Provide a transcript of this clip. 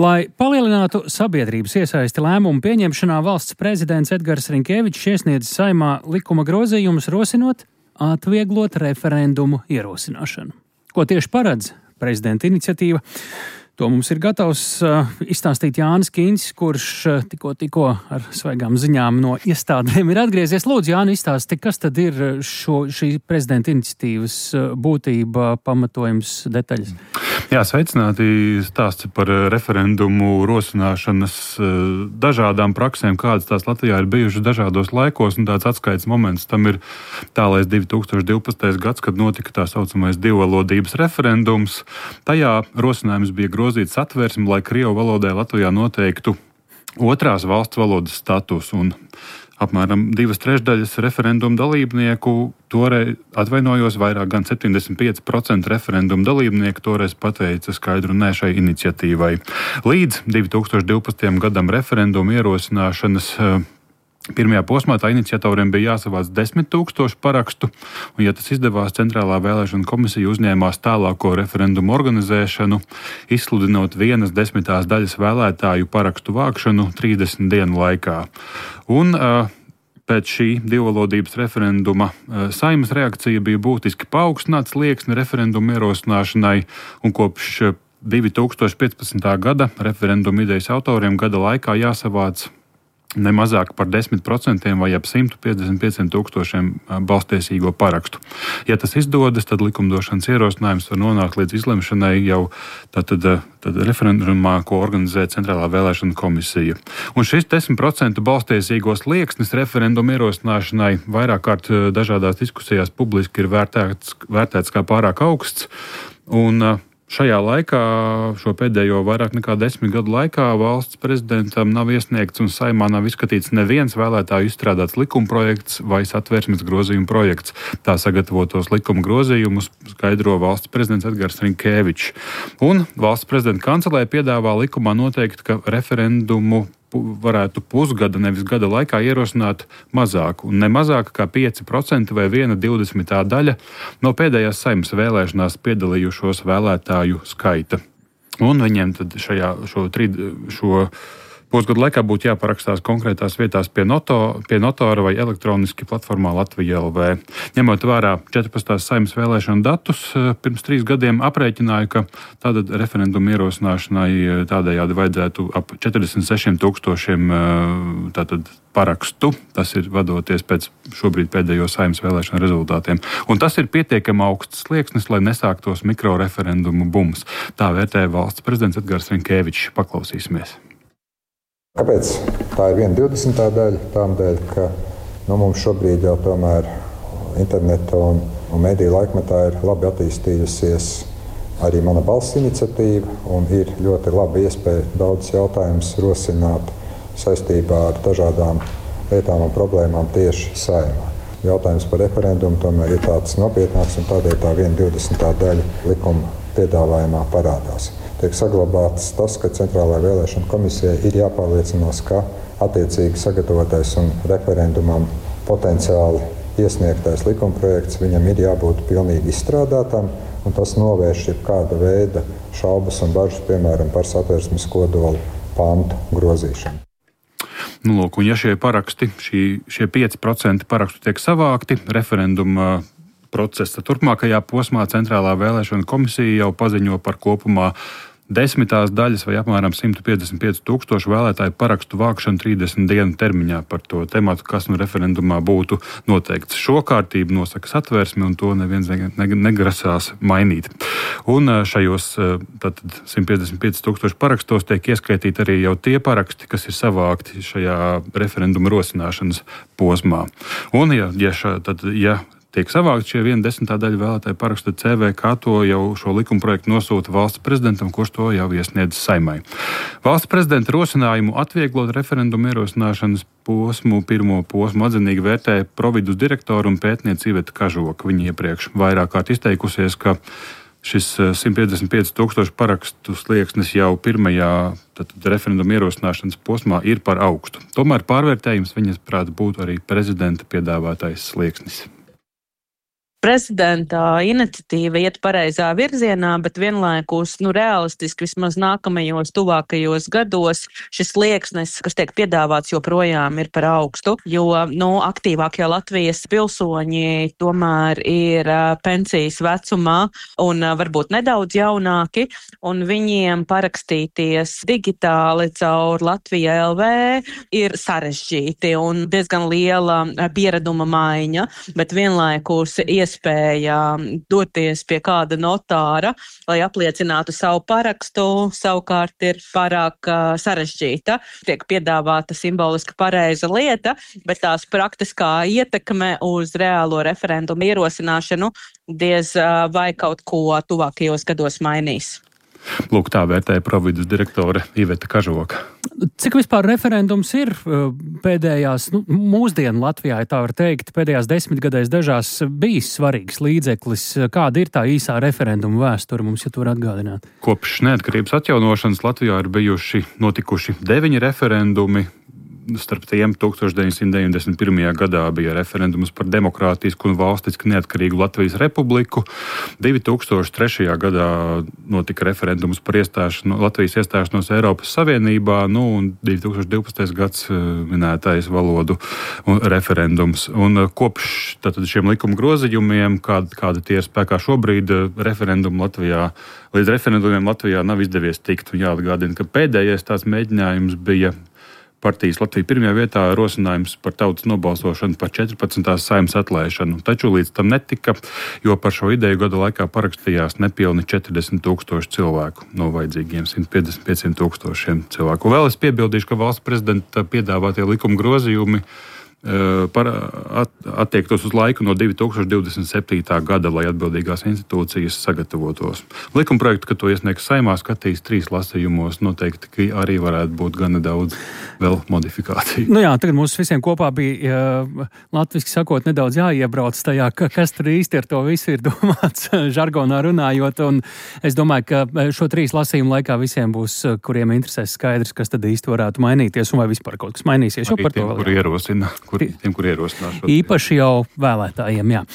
Lai palielinātu sabiedrības iesaisti lēmumu pieņemšanā, valsts prezidents Edgars Riņkevičs iesniedz Saeimā likuma grozījumus, rosinot atvieglot referendumu ierosināšanu. Ko tieši paredz prezidenta iniciatīva? To mums ir gatavs izstāstīt Jānis Kīņš, kurš tikko ar svaigām ziņām no iestādēm ir atgriezies. Lūdzu, Jāni, izstāsti, kas tad ir šī prezidenta iniciatīvas būtība, pamatojums, detaļas? Jā, sveicināti. Stāsts par referendumu rosināšanas dažādām praksēm, kādas tās Latvijā ir bijušas dažādos laikos, un tāds atskaites moments tam ir tālais 2012. gads, kad notika tā saucamais divvalodības referendums. Tajā rosinājums bija grozīt satversmi, lai krievu valodai Latvijā noteiktu otrās valsts valodas status, un apmēram 2/3 referendumu dalībnieku toreiz, vairāk gan 75% referendumu dalībnieku toreiz pateica skaidru nē šai iniciatīvai. Līdz 2012. gadam referendumu ierosināšanas pirmajā posmā tā iniciatoriem bija jāsavāc 10 000 parakstu, un, ja tas izdevās, Centrālā vēlēšana komisija uzņēmās tālāko referendumu organizēšanu, izsludinot 1/10 vēlētāju parakstu vākšanu 30 dienu laikā. Un pēc šī divvalodības referenduma Saeimas reakcija bija būtiski paaugstināts slieksni referendumu ierosināšanai, un kopš 2015. gada referendumu idejas autoriem gada laikā jāsavāc ne mazāk par 10% vai ap 155 000 balstiesīgo parakstu. Ja tas izdodas, tad likumdošanas ierosinājums var nonākt līdz izlemšanai jau tad referendumā, ko organizē Centrālā vēlēšana komisija. Un šis 10% balstiesīgo slieksnis referendumu ierosināšanai vairāk kārt dažādās diskusijās publiski ir vērtēts kā pārāk augsts, un šajā laikā, šo pēdējo vairāk nekā 10 gadu laikā, valsts prezidentam nav iesniegts un Saeimā nav izskatīts neviens vēlētāju izstrādāts likumprojekts vai satversmes grozījuma projekts. Tā sagatavotos likuma grozījumus skaidro valsts prezidents Edgars Riņkevičs. Un valsts prezidenta kancelē piedāvā likumā noteikt, ka referendumu varētu pusgada, nevis gada laikā ierosināt mazāk, un ne mazāk kā 5% vai 1/20 daļa no pēdējās Saeimas vēlēšanās piedalījušos vēlētāju skaita. Un viņiem tad šo pusgadu laikā būtu jāparakstās konkrētās vietās pie notāra vai elektroniski platformā Latvija LV. Ņemot vērā 14. Saeimas vēlēšanu datus, pirms 3 gadiem aprēķināju, ka tātad referendumu ierosināšanai tādējādi vajadzētu ap 46 000 tātad parakstu. Tas ir vadoties pēc šobrīd pēdējo Saeimas vēlēšanu rezultātiem. Un tas ir pietiekami augsts slieksnis, lai nesāktos mikroreferendumu bums. Tā vērtē valsts prezidents Edgars Riņkevičs. Paklausīsimies. Kāpēc tā ir 1/20 daļa? Tādēļ, ka mums šobrīd jau tomēr interneta un mediju laikmetā ir labi attīstījusies arī mana balss iniciatīva, un ir ļoti laba iespēja daudz jautājumus rosināt saistībā ar dažādām lietām un problēmām tieši Saeimā. Jautājums par referendumu tomēr ir tāds nopietnāks, un tādēļ tā 1/20 daļa likuma piedāvājumā parādās. Tiek saglabāts tas, ka Centrālajai vēlēšana komisijai ir jāpārliecinās, ka attiecīgi sagatavotais un referendumam potenciāli iesniegtais likumprojekts viņam ir jābūt pilnīgi izstrādātam, un tas novērš jebkāda veida šaubas un bažas, piemēram, par satversmes kodola pantu grozīšanu. Lūk, un ja šie paraksti, šie 5% parakstu tiek savākti, referenduma procesa turpmākajā posmā Centrālā vēlēšana komisija jau paziņo par kopumā 10 daļas vai apmēram 155 000 vēlētāju parakstu vākšanu 30 dienu termiņā par to tematu, kas referendumā būtu noteikts. Šo kārtību nosaka satversme, un to neviens negrasās mainīt. Un šajos 155 000 parakstos tiek ieskaitīti arī jau tie paraksti, kas ir savākti šajā referenduma rosināšanas posmā. Un ja tiek savākt šie 1/10 daļa vēlētāju parakstu, CVK to jau šo likumprojektu nosūta valsts prezidentam, kurš to jau iesniedz Saeimai. Valsts prezidenta rosinājumu atvieglot referendumu ierosināšanas pirmo posmu atzinīgi vērtē Providus direktora un pētniece Iveta Kažoka. Viņa iepriekš vairāk kārt izteikusies, ka šis 155 000 parakstu slieksnis jau pirmajā referenduma ierosināšanas posmā ir par augstu. Tomēr pārvērtējums viņas prāt būtu arī prezidenta piedāvātais slieksnis. prezidenta iniciatīva iet pareizā virzienā, bet vienlaikus, realistiski vismaz nākamajos tuvākajos gados šis slieksnis, kas tiek piedāvāts, joprojām ir par augstu, jo, aktīvākie Latvijas pilsoņi tomēr ir pensijas vecumā un varbūt nedaudz jaunāki, un viņiem parakstīties digitāli caur Latvija LV ir sarežģīti un diezgan liela piereduma maiņa, bet vienlaikus iespēja doties pie kāda notāra, lai apliecinātu savu parakstu, savukārt ir pārāk sarežģīta. Tiek piedāvāta simboliski pareiza lieta, bet tās praktiskā ietekme uz reālo referendumu ierosināšanu diez vai kaut ko tuvākajos gados mainīs. Lūk, tā vērtēja Providus direktore Iveta Kažoka. Cik vispār referendums ir pēdējās, mūsdienu Latvijā, ja tā var teikt, pēdējās 10 gadēs dažās bijis svarīgs līdzeklis? Kāda ir tā īsā referenduma vēsture mums, ja tu var atgādināt? Kopš neatkarības atjaunošanas Latvijā ir notikuši 9 referendumi. Starp tiem 1991. gadā bija referendums par demokrātisku un valstiski neatkarīgu Latvijas republiku. 2003. gadā notika referendums par Latvijas iestāšanos Eiropas Savienībā, un 2012. gads minētais valodu referendums. Un kopš šiem likuma grozījumiem, kāda tie ir spēkā šobrīd, līdz referendumiem Latvijā nav izdevies tikt. Un jāatgādina, ka pēdējais tās mēģinājums bija partijas Latvija pirmajā vietā rosinājums par tautas nobalsošanu par 14. Saeimas atlaišanu. Taču līdz tam netika, jo par šo ideju gada laikā parakstījās nepilni 40,000 cilvēku no vajadzīgiem 155,000 cilvēku. Vēl es piebildīšu, ka valsts prezidenta piedāvātie likuma grozījumi attiektos uz laiku no 2027. gada, lai atbildīgās institūcijas sagatavotos. Likumprojektu, kad to iesniegs Saeimā, skatīs 3 lasījumos, noteikti arī varētu būt gana daudz vēl modifikāciju. Tagad mums visiem kopā bija, latviski sakot, nedaudz jāiebrauc tajā, kas tur īsti ar to visu ir domāts, žargonā runājot, un es domāju, ka šo 3 lasījumu laikā visiem būs, kuriem interesēs skaidrs, kas tad īsti varētu mainīties, un vai vispār kaut kas mainīsies. Arī tiem, kuri ierosinās. Īpaši jau vēlētājiem, jā.